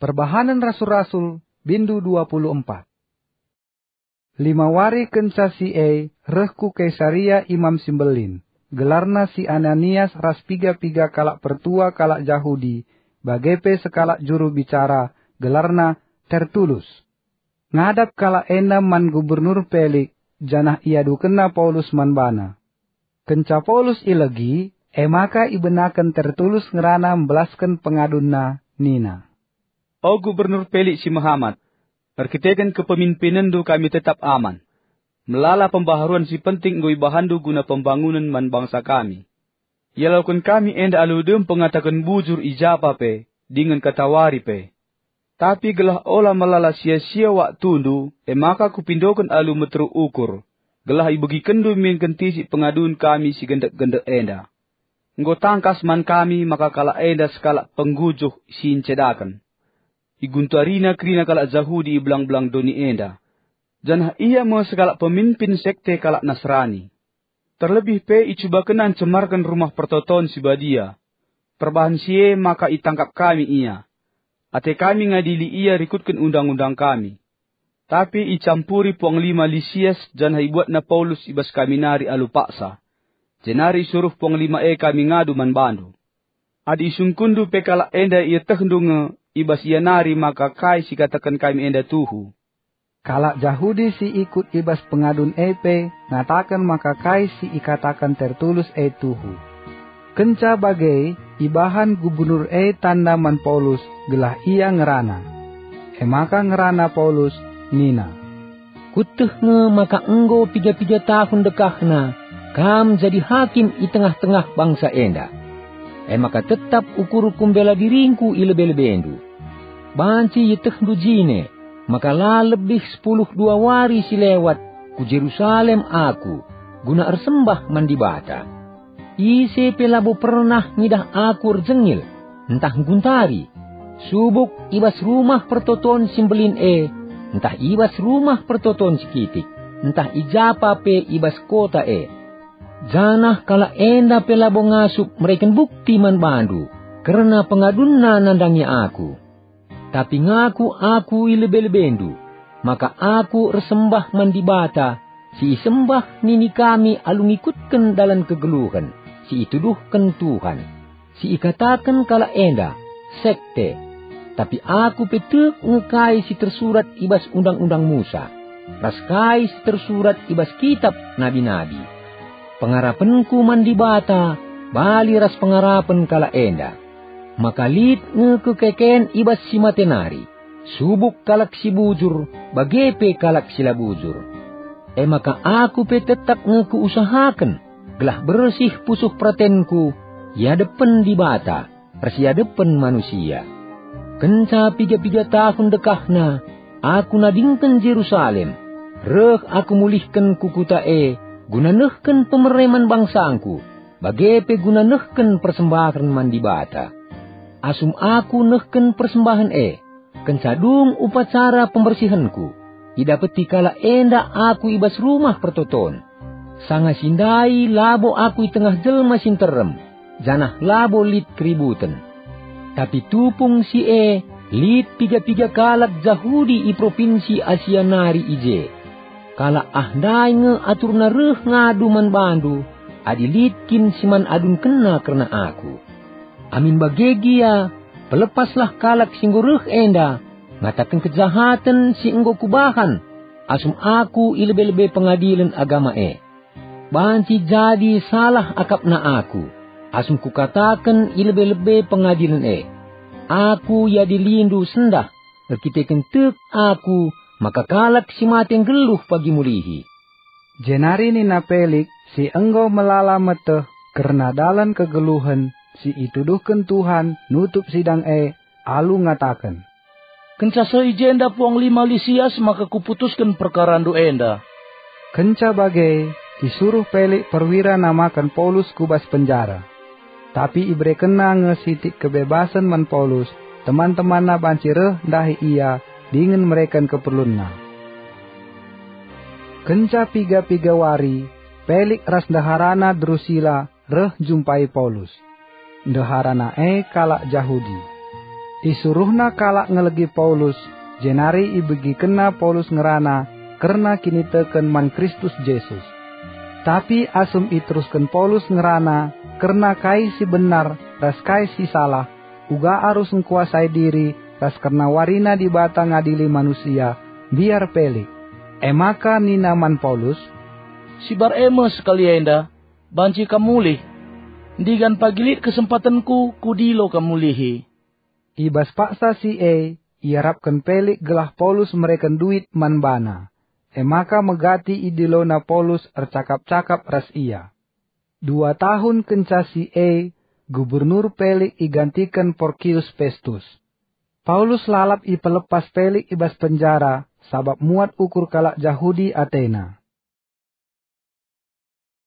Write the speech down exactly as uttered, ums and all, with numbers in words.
Perbahanen Rasul-Rasul, bindu dua puluh empat. Lima wari kenca si e reh ku Kaisarea Imam si Mbelin, gelarna si Ananias ras piga-piga kalak pertua kalak Jahudi, bage pe sekalak juru bicara, gelarna Tertulus. Ngadap kalak enda man Gubernur Pelik, janah iadukenna Paulus man bana. Kenca Paulus ilegi, e maka ibenaken Tertulus ngerana mbelasken pengadunna, nina, "O Gubernur Pelik si mehamat, erkiteken kepemimpinenndu kami tetap aman. Melala pembaharuen si penting enggo ibahanndu guna pembangunen man bangsa kami. Ialoken kami enda alu dem pengataken bujur i japa pe, dingen katawari pe. Tapi gelah ola melala sia-sia waktundu, e maka kupindoken alu meteruk ukur, gelah ibegikenndu min kentisik pengadun kami si gendek-gendek enda. Enggo tangkas man kami maka kalak enda sekalak penggujuh si ncedaken. Iguntarina kerina kalak Jahudi i belang-belang doni enda, janah ia me sekalak pemimpin sekte kalak Nasrani. Terlebih pe icubakenna ncemarken Rumah Pertoton si Badia. Perbahan si e maka itangkap kami ia. Ate kami ngadili ia rikutken undang-undang kami. Tapi icampuri puanglima Lisias janah ibuatna Paulus i bas kami nari alu paksa. Jenari isuruh puanglima e kami ngadu man bandu. Adi isungkunndu pe kalak enda ietehndu nge, i bas ia nari maka kai si ikataken kami enda tuhu." Kalak Jahudi si ikut i bas pengadun e pe ngataken maka kai si ikataken Tertulus e tuhu. Kenca bage, ibahan gubernur e tanda man Paulus gelah ia ngerana. E maka ngerana Paulus nina, "Kueteh nge maka enggo piga-piga tahun dekahna kam jadi hakim i tengah-tengah bangsa enda. E maka tetap ukurku mbela diringku i lebe-lebendu. Banci ietehndu jine maka la lebih sepuluh dua wari si lewat ku Jerusalem aku guna ersembah man Dibata. Ise pe labo pernah ngidah aku erjengil, ntah ngguntari, subuk i bas Rumah Pertoton si Mbelin e, ntah i bas Rumah Pertoton si Kitik, ntah i japa pe i bas kota e. Janah kalak enda pe labo ngasup mereken bukti man bandu kerna pengadunna nandangi aku. Tapi ngaku aku i lebe-lebendu, maka aku ersembah man Dibata si isembah nini kami alu ngikutken dalan kegeluhen si ituduhken Tuhan, si ikataken kalak enda sekte. Tapi aku pe tek nge kai si tersurat i bas Undang-undang Musa, ras kai si tersurat i bas kitab nabi-nabi. Pengarapenku man Dibata bali ras pengarapen kalak enda, maka lit nge kekeken i bas si mate nari, subuk kalak si bujur bage pe kalak si la bujur. E maka aku pe tetap nge kuusahaken gelah bersih pusuh peratenku i adepen Dibata ras i adepen manusia. Kenca piga-piga tahun dekahna aku nadingken Jerusalem, reh aku mulihken ku kuta e guna nehken pemere man bangsangku, bage pe guna nehken persembahen man Dibata. Asum aku nehken persembahen e, kenca dung upacara pembersihenku, idapeti kalak enda aku i bas Rumah Pertoton. Sanga si ndai labo aku i tengah jelma si nterem, janah labo lit keributen. Tapi tupung si e lit piga-piga kalak Jahudi i propinsi Asia nari i je. Kalak ah ndai nge aturna reh ngadu man bandu, adi lit kin si man adunkenna kerna aku. Amin bage gia, pelepaslah kalak si enggo reh enda ngataken kejahaten si enggo kubahan asum aku i lebe-lebe Pengadilen Agama e. Banci jadi salah akapna aku, asum kukataken i lebe-lebe pengadilen e, "Aku iadilindu sendah, erkiteken tek aku maka kalak si mate nggeluh pagi mulihi." Jenari nina Pelik, si enggo melala meteh kerna dalan kegeluhen si ituduhken Tuhan nutup sidang e, alu ngataken, "Kenca seh i jenda puanglima Lisias maka kuputusken perkarandu enda." Kenca bage, isuruh Pelik perwira namaken Paulus ku bas penjara. Tapi iberekenna nge sitik kebebasen man Paulus, teman-temanna banci reh ndahi ia dingen mereken keperlunna. Kenca piga-piga wari, Pelik ras ndeharana Drusila reh njumpai Paulus. Ndeharana e kalak Jahudi. Isuruhna kalak ngelegi Paulus, jenari ibegikenna Paulus ngerana kerna kiniteken man Kristus Jesus. Tapi asum iterusken Paulus ngerana kerna kai si benar ras kai si salah, uga arus ngkuasai diri ras kerna warina Dibata ngadili manusia, mbiar Pelik. E maka nina man Paulus, "Sibar e me sekali enda, banci kam mulih. Ndigan pagi lit kesempatenku kudilo kam mulihi." I bas paksa si e, iarapken Pelik gelah Paulus mereken duit man bana. E maka megati idilona Paulus ercakap-cakap ras ia. Dua tahun kenca si e, Gubernur Pelik igantiken Porkius Pestus. Paulus lalap ipelepas Pelik i bas penjara, sabap muat ukur kalak Jahudi atena.